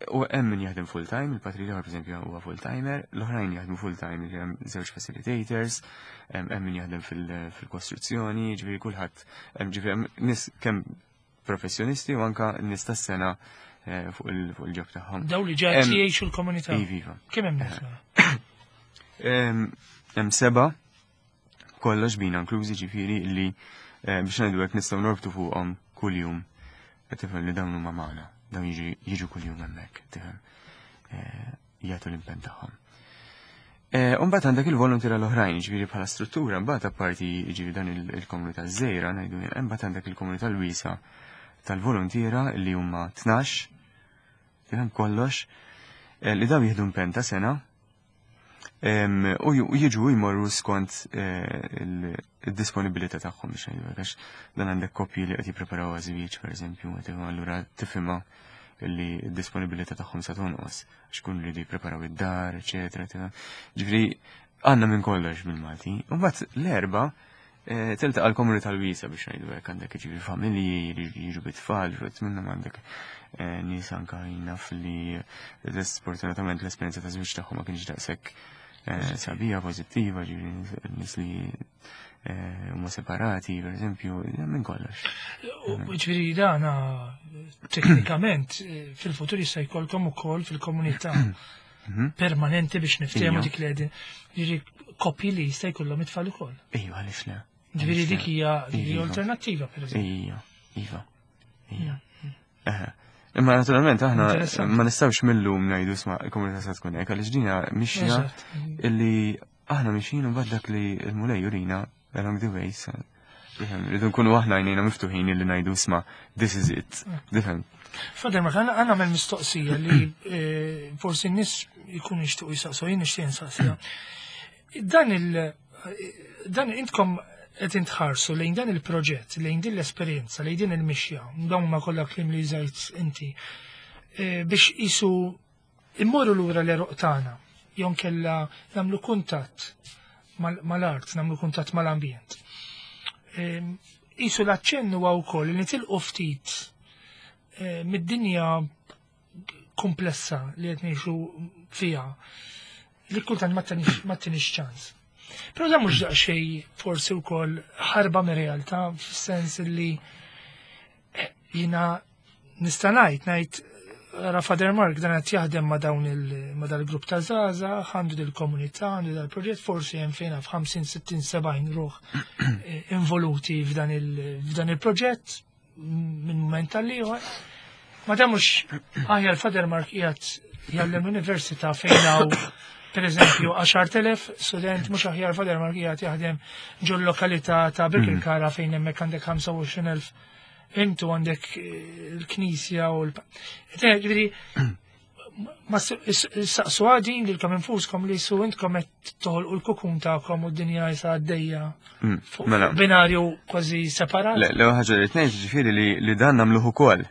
Speaker 2: U hemm min jaħdem full time, il-patri l per eżempju huwa full timer, l-oħrajn jaħdmu full time, hemm żewġ facilitators, hemm min jaħdem fil-kostruzzjoni, ġifieri kulħadd, hemm ġifieri nies kemm professjonisti u anka nies tas-sengħa eh, fuq il-job tagħhom.
Speaker 1: Daw li ġa jgħixu l-komunità.
Speaker 2: Iva.
Speaker 1: Kemm hemm nies?
Speaker 2: Hemm seba' kollox bina inklużi, ġifieri li eh, biex ngħidu hekk nistgħu norbtu fuqhom kuljum. Tifhem li dawn huma magħna, dawn jiġu kuljum hemmhekk, tifhem, eh, jagħtu l-impenn tagħhom. Eh, Umbagħad għandek il-volontiera l-oħrajn, ġifieri bħala struttura, mbagħad apparti ġifieri dan il-komunità żgħira, ngħidu, imbagħad għandek il-komunità l-wiesa tal-volontiera li huma tnax, tifhem kollox, eh, li daw jieħdu impenn ta' sena u jiġu jmorru skont il-disponibilità tagħhom biex ngħidu għax dan għandek koppji li qed jippreparaw għaż-żwieġ, pereżempju, allura tifhimha li d-disponibilità tagħhom sa tonqos għax kun rridu jippreparaw id-dar, eċetera. Ġifieri għandna minn kollox bil-Malti. U mbagħad l-erba' eh, tiltaqa' l-komunità l-wiesa biex ngħidu hekk, għandek ġifieri familji li jiġu bit-tfal, ġifieri minnhom għandek eh, nies anka naf li sfortunatament l-esperjenza ta' żwieġ tagħhom ma kienx daqshekk eh, sabiħa, pożittiva, ġifieri nies li huma separati, per eżempju, minn kollox.
Speaker 1: Ġifieri dana teknikament fil-futur jista' jkollkom ukoll fil-komunità mhm. permanenti biex niftehmu dik li qegħdin. Ġifieri koppji li jista' jkollhom it-tfal ukoll.
Speaker 2: Ejwa, għaliex le.
Speaker 1: Ġifieri dik hija alternattiva, per eżempju.
Speaker 2: Ija, iva. Ija. Imma naturalment aħna ma nistgħux millum ngħidu sma' il-komunità se tkun hekk għaliex dina mixja illi aħna mixjin u dak li l-Mulej jurina along the way sa Rridu nkunu aħna għajnejna miftuħin li ngħidu isma' this is it. Tifhem?
Speaker 1: Father Mark, għana għamel mistoqsija li eh, forsi n-nies jkunu jixtiequ jisaqsu, jien nixtieq nsaqsija. Dan il dan intkom qed intħarsu lejn dan il-proġett, lejn din l-esperjenza, lejn din il-mixja, dawn ma kollha kliem li użajt inti, eh, biex jisu immorru lura l-għeruq tagħna, jew kella nagħmlu kuntatt mal-art, nagħmlu kuntatt mal-ambjent. Isu l-aċċennu huwa wkoll li nitilqu ftit eh, mid-dinja komplessa li qed ngħixu fiha li kultant ma tinix ċans. Però dan mhux daqsxejn forsi wkoll ħarba mir-realtà fis-sens li eh, jiena nista' ngħid ngħid ra Father Mark dan qed jaħdem ma' dawn il ma' dal-grupp ta' żgħażagħ, għandu dil-komunità, għandu dal-proġett, forsi hemm fejn f'ħamsin, sittin, sebgħin ruħ eh, involuti f'dan il- il-proġett minn moment għal ieħor. Ma dan mhux aħjar Father Mark qiegħed jgħallem l-università fejn hawn per eżempju għaxart elef student, mhux aħjar Father Mark qiegħed jaħdem ġol lokalità ta' Birkirkara fejn hemmhekk għandek ħamsa u għoxrin elf intu għandek eh, il-knisja u l- Ġifieri, ma saqsu għadin li l-kom infuskom li su intkom qed toħolqu l-kukun tagħkom u d-dinja jisa għaddejja
Speaker 2: mm,
Speaker 1: fuq
Speaker 2: mela.
Speaker 1: binarju kważi separat.
Speaker 2: Le, l-ewwel ħaġa li tnejn ġifieri li, li dan nagħmluh ukoll.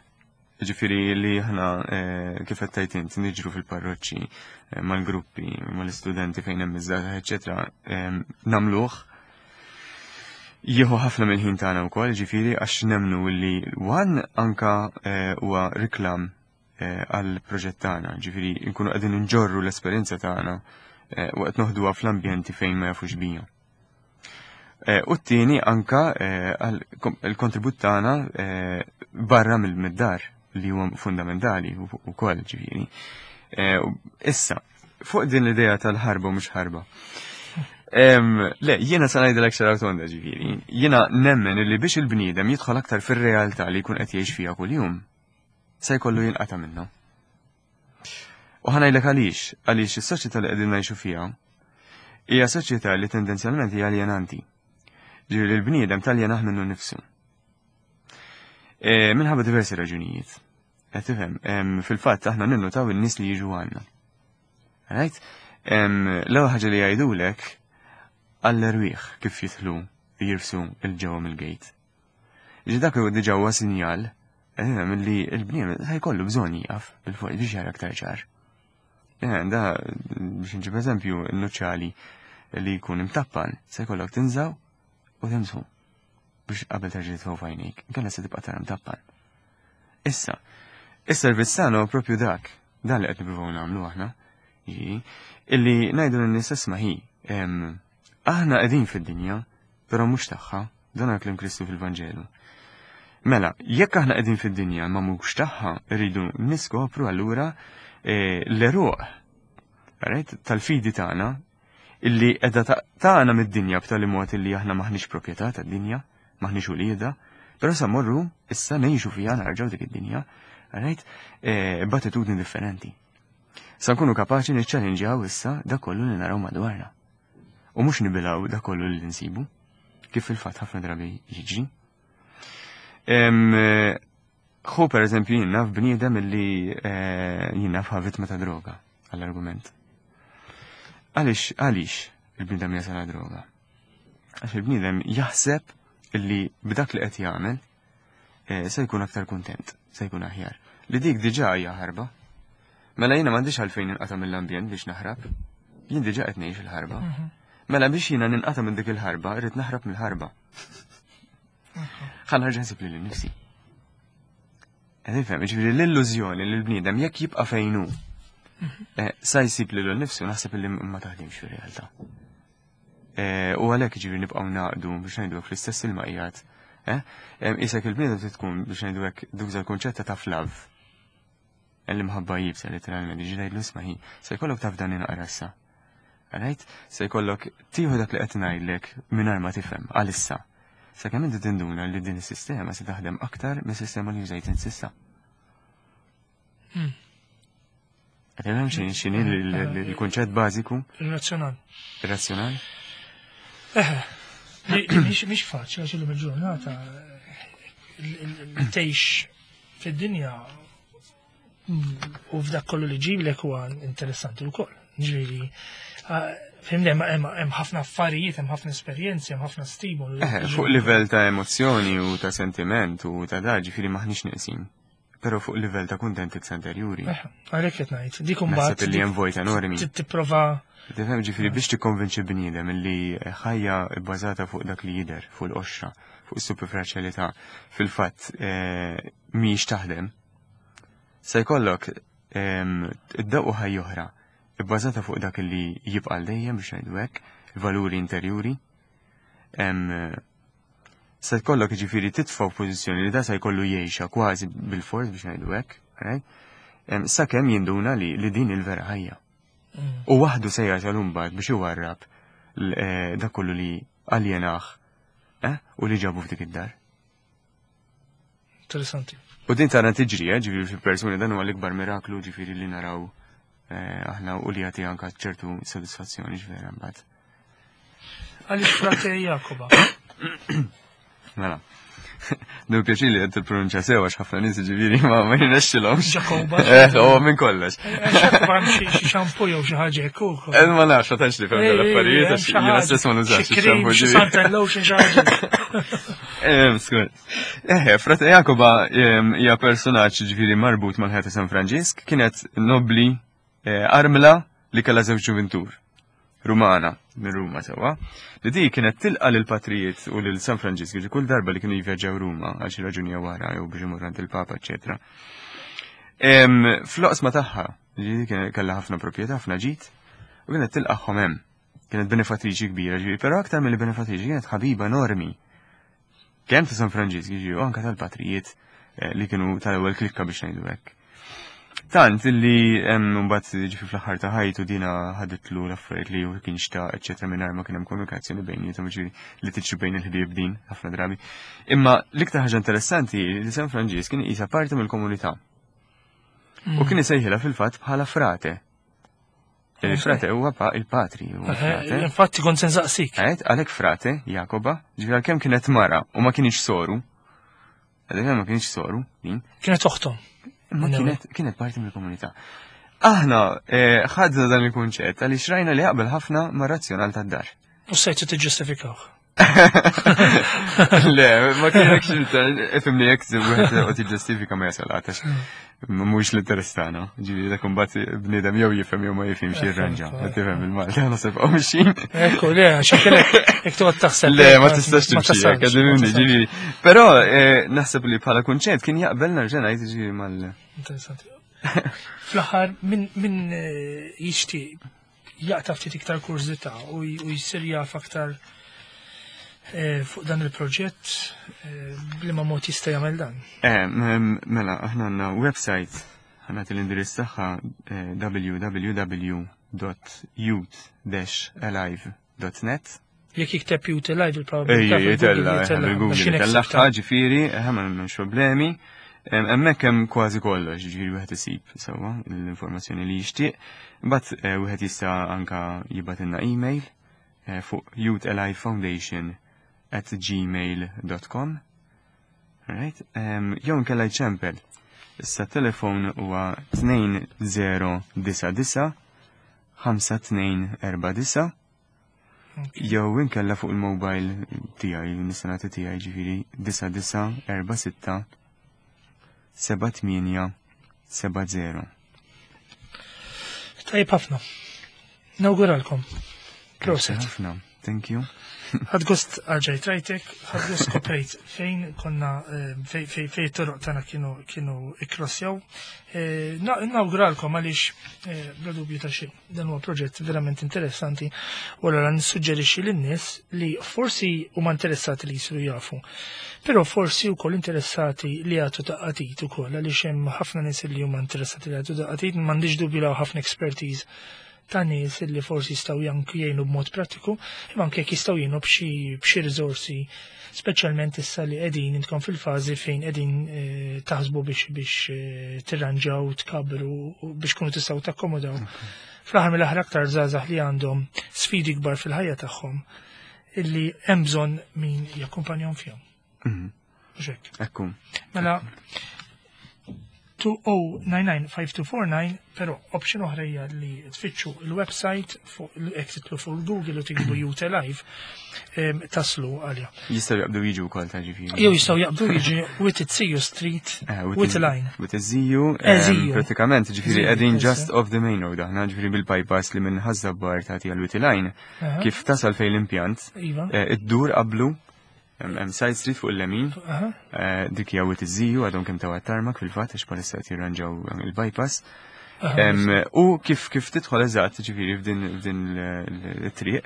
Speaker 2: Ġifieri li aħna eh, kif qed tgħid int niġru fil-parroċċi eh, mal-gruppi, mal-istudenti fejn hemm iż-żgħażagħ, eċetera, nagħmluh. Jieħu ħafna mill-ħin tagħna wkoll, ġifieri għax nemmnu li one anka eh, huwa riklam għal proġett tagħna, ġifieri nkunu qegħdin nġorru l-esperjenza tagħna u qed noħduha fl-ambjenti fejn ma jafux bija. U t-tieni anka il-kontribut tagħna barra mill-dar li huwa fundamentali wkoll ġifieri. Issa, fuq din l-idea tal-ħarba u mhux ħarba. Le, jiena sa ngħidilek xi tonda ġifieri. Jiena nemmen li biex il-bniedem jidħol aktar fir-realtà li jkun qed jgħix fiha kuljum, se jkollu jinqata' minnha. U ħa ngħidlek għaliex, għaliex is-soċjetà li qegħdin ngħixu fiha hija soċjetà li tendenzjalment hija aljenanti. Ġifieri l-bniedem taljenah minnu nnifsu. E, minħabba diversi raġunijiet. Qed tifhem, fil-fatt aħna ninnutaw in-nies li jiġu għandna. Right? L-ewwel ħaġa li jgħidulek għall-erwieħ kif jidħlu jirfsu il-ġewwa mill-gate. Ġi dak huwa diġà huwa sinjal li l-bniedem se jkollu bżonn jieqaf bil-fuq biex jara aktar ċar. Da, biex nġib eżempju, n-nuċċali li jkun imtappan se jkollok tinżaw u timsħu biex qabel terġa' titfgħu f'għajnejk, inkella se tibqa' tara mtappan. Issa, is-servizz tagħna huwa propju dak, dan li qed nippruvaw nagħmlu aħna, illi ngħidu lin-nies isma' hi, aħna qegħdin fid-dinja, però mhux tagħha, dan kliem Kristu fil-Vanġelu. Mela, jekk aħna qegħdin fid-dinja ma mhux tagħha, rridu niskopru allura eh, l-eruq tal-fidi tagħna illi qiegħda tagħna mid-dinja b'tali mod illi aħna maħniex proprjetà tad-dinja, maħniex uliedha, però sa morru issa ngħixu fiha narġgħu dik id-dinja, right? Eh, b'attitudni differenti. Sa nkunu kapaċi niċċallenġjaw issa dak kollu li naraw madwarna. U mhux nibilgħu dak kollu li nsibu, kif fil-fatt ħafna drabi jiġri. Ħu per eżempju jien naf bniedem illi eh, jien naf vittma ta' droga għall-argument. Għaliex, għaliex il-bniedem jasal droga? Għax il-bniedem jaħseb illi b'dak li qed jagħmel eh, se jkun aktar kuntent, se jkun aħjar. Li dik diġà hija ħarba. Mela jiena m'għandix għalfejn ninqata' mill-ambjent biex naħrab. Jien diġà qed ngħix il-ħarba. Mhm. Mela biex jiena ninqata' minn dik il-ħarba, irrid naħrab mill-ħarba. Ħa nerġa' nsib lili nnifsi. Qed nifhem, jiġifieri l-illużjoni li l-bniedem jekk jibqa' fejn hu mhm. eh, sa jsib lilu nnifsu naħseb li ma taħdimx fir-realtà. Eh, u għalhekk jiġifieri nibqgħu naqdu biex ngħidu fl-istess ilma qiegħed. Eh, isek il-bniedem trid tkun biex ngħidu hekk duża l-kunċett ta' tough love. L-imħabba jibsa literalment, ġi ngħidlu isma' hi, se jkollok taf dan inqra issa. Right? Se jkollok tieħu dak li qed ngħidlek mingħajr ma tifhem għalissa. Sakemm inti tinduna li din is-sistema se taħdem aktar mis-sistema li użajt int s'issa. Hmm. Qed nifhem x'inhi x'inhi l-kunċett bażiku?
Speaker 1: Ir-razzjonal.
Speaker 2: Ir-razzjonal?
Speaker 1: Eħe. Mhix faċli għax illum il-ġurnata li tgħix fid-dinja u f'dak kollu li ġiblek huwa interessanti wkoll. Ġifieri, fhimni, hemm ħafna affarijiet, hemm ħafna esperjenzi, hemm ħafna stimolu.
Speaker 2: Fuq livell ta' emozzjoni u ta' sentiment u ta' da, ġifieri maħniex neqsin. Però fuq livell ta' kuntentizza interjuri.
Speaker 1: Għalhekk qed ngħid, dik imbagħad.
Speaker 2: Naħseb li hemm vojt enormi.
Speaker 1: Tipprova.
Speaker 2: Tifhem, ġifieri biex tikkonvinċi bniedem li ħajja bbażata fuq dak li jidher, fuq l-qoxra, fuq is-superficialità, fil-fatt mhijiex taħdem. Se jkollok id-dawqu ħajja oħra bbażata fuq dak li jibqa' dejjem, biex ngħidu hekk, il-valuri interjuri. Se jkollok ġifieri titfa' f'pożizzjoni li da se jkollu jgħixha kważi bil-fors, biex ngħidu hekk, sakemm jinduna li li din il-vera ħajja. U waħdu se jasal imbagħad biex iwarrab dak kollu li aljenah u li ġabu f'dik id-dar.
Speaker 1: Interessanti.
Speaker 2: U din tara tiġri, ġifieri fil-persuni dan huwa l-ikbar miraklu ġifieri li naraw aħna u li jagħti anke ċertu sodisfazzjoni ġvera mbagħad.
Speaker 1: Għaliex Frate Jacoba?
Speaker 2: Mela. Nu pjaċir li qed tippronunċja sew għax ħafna nies ġifieri ma ma jirnexxilhomx.
Speaker 1: Jacoba.
Speaker 2: Eh, huwa minn kollox.
Speaker 1: Jacoba xi xampu jew xi ħaġa hekk ukoll.
Speaker 2: Eh, ma nafx, ma tantx li fhem l-affarijiet għax jiena stess ma nużax
Speaker 1: ix-xampu. Xi suntan lotion xi ħaġa.
Speaker 2: Eh, skur. Eh, Frate Jacoba hija personaġġ ġifieri marbut mal-ħajja ta' San Franġisk, kienet nobli armla li kellha żewġ ġuvintur. Rumana, minn Ruma sewa, li di kienet tilqa lil patrijiet u lil San Franġisk ġi kull darba li kienu jivvjaġġaw Ruma għal xi raġuni jew oħra jew biex imorru għand il-Papa, eċetera. Fl-oqsma tagħha, ġi kellha ħafna proprjetà, ħafna ġid, u kienet tilqaħħom hemm. Kienet benefattriċi kbira, ġifieri, però aktar milli benefattriċi kienet ħabiba enormi. Kemm ta' San Franġisk, ġifieri, u anke tal-patrijiet li kienu tal-ewwel klikka biex ngħidu hekk. Tant illi hemm mbagħad ġifi fl-aħħar ta' ħajtu dina ħaditlu l-affarijiet li hu kien xtaq, eċetera, mingħajr ma kien hemm komunikazzjoni bejniethom, ġifieri li tiġri bejn il-ħbieb din ħafna drabi. Imma l-iktar ħaġa interessanti li San Franġisk kien qisha parti mill-komunità. U kien isejħilha fil-fatt bħala frate. Il-frate huwa il-patri, huwa frate.
Speaker 1: Infatti kont se nsaqsik.
Speaker 2: Għed, għalhekk Frate Jacoba, ġifieri għalkemm kienet mara u ma kienx soru. Għalhekk ma kienx soru, din.
Speaker 1: Kienet oħtom.
Speaker 2: Ma kienet, kienet parti mill-komunità. Aħna ħadna dan il-kunċett għaliex rajna li jaqbel ħafna ma' razzjonal tad-dar.
Speaker 1: U sejtu tiġġustifikawh.
Speaker 2: Le, ma kienx ifhimni jekk wieħed qed jiġġustifika ma jasal għatax. Mhux l-interess tagħna. Ġifieri dak imbagħad bniedem jew jifhem jew ma jifhimx jirranġa. Ma tifhem il-Malta naħseb hawn mixin.
Speaker 1: Ekku, le, għax hekk jekk toqgħod taħseb.
Speaker 2: Le, ma tistax timxi hekk, ġifieri. Però naħseb li bħala kunċett kien jaqbel nerġa' ngħid ġifieri mal.
Speaker 1: Interessanti. Fl-aħħar min jixtieq jaqta' ftit iktar kurżità u jsir jaf aktar fuq dan il-proġett, b'liema mod jista' jagħmel dan?
Speaker 2: Mela, aħna għandna website, ħa nagħti l-indirizz tagħha w w w dot youth dash alive dot net.
Speaker 1: Jekk jikteb Youth Alive il-probabilità.
Speaker 2: Ejja, jitella, bil-Google jitellaħħa, ġifieri, ma m'hemmx problemi. Hemmhekk hemm kważi kollox, ġifieri wieħed isib sewwa l-informazzjoni li jixtieq. Imbagħad wieħed jista' anka jibgħatilna email fuq youthalivefoundation at gmail dot com. Right? Jew inkella jċempel. Issa telefon huwa tnejn zero disa disa ħamsa tnejn erba' disa. Jew inkella fuq il-mobile tiegħi, nista' nagħti tiegħi ġifieri disa disa erba' sitta seba' tmienja seba' zero.
Speaker 1: Tajjeb ħafna. Nawguralkom. Proset.
Speaker 2: Ħafna. Thank you.
Speaker 1: Ħadt gost għalġajt rajtek, ħadt gost skoprejt fejn konna, fej, fej, fej toroq tagħna kienu, kienu ikkrossjaw. Nawguralkom għaliex, bla dubju ta' xejn, dan huwa proġett verament interessanti u allura nissuġġerixxi lin-nies li forsi huma interessati li jsiru jafu, però forsi wkoll interessati li jagħtu daqqatit ukoll għaliex hemm ħafna nies li huma interessati li jagħtu daqqatit, m'għandix dubju li hawn ħafna expertise ta' nies li forsi jistgħu janki jgħinu b'mod prattiku, imma anke jekk jistgħu jgħinu b'xi, b'xi riżorsi, speċjalment issa li qegħdin intkom fil-fażi fejn qegħdin, eh, taħsbu biex, biex, eh, tirranġaw, tkabru u biex kunu tistgħu takkomodaw. Fl-aħħar mill-aħħar aktar żgħażagħ li għandhom sfidi kbar fil-ħajja tagħhom, illi hemm bżonn min jakkumpanjahom fihom.
Speaker 2: Mhm.
Speaker 1: Mhux hekk?
Speaker 2: Ekku.
Speaker 1: Mela two oh nine nine five two four nine, però option oħra hija li tfittxu il-website fuq, jekk titlu fuq Google u tiktbu Youth Alive em, taslu għalja.
Speaker 2: Jistgħu jaqbdu jiġu wkoll ta' ġifieri.
Speaker 1: Jew jistgħu jaqbdu jiġi Wied iz-Ziju Street,
Speaker 2: Eh,
Speaker 1: Wied il-Għajn.
Speaker 2: Wied iz-Ziju,
Speaker 1: Eh, Ziju.
Speaker 2: pratikament, ġifieri
Speaker 1: Ziju,
Speaker 2: qegħdin
Speaker 1: forse.
Speaker 2: just off the main road, aħna ġifieri bil-bypass li minn Ħaż-Żabbar tagħti għal Wied il-Għajn,
Speaker 1: Aha.
Speaker 2: kif tasal fejn l-impjant,
Speaker 1: Iva.
Speaker 2: eh, iddur qablu, hemm hemm side street fuq il-lemin,
Speaker 1: Aha.
Speaker 2: eh, dik hija Wied iz-Ziju, għadhom kemm taw tarmac fil-fatt, għax bħalissa qed jirranġaw il-bypass.
Speaker 1: Aha.
Speaker 2: Em, U kif kif tidħol eżatt, ġifieri f'din f'din l-triq,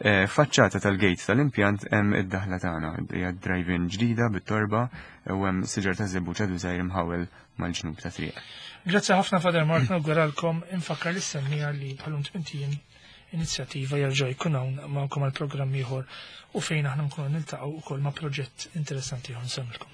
Speaker 2: eh, faċċata tal-gate tal-impjant hemm id-daħla tagħna, hija drive-in ġdida bit-torba u hemm siġar ta' żebbuġ għadu żgħir imħawel mal-ġnub ta' triq.
Speaker 1: Grazzi ħafna, Father Mark, nawguralkom. Infakkar lis-semmiegħa li bħalum tmint ijiem Inizjattiva jerġa' jkun hawn magħkom għal programm ieħor u fejn aħna nkunu niltaqgħu wkoll ma' proġett interessanti ieħor. Nsellmilkom.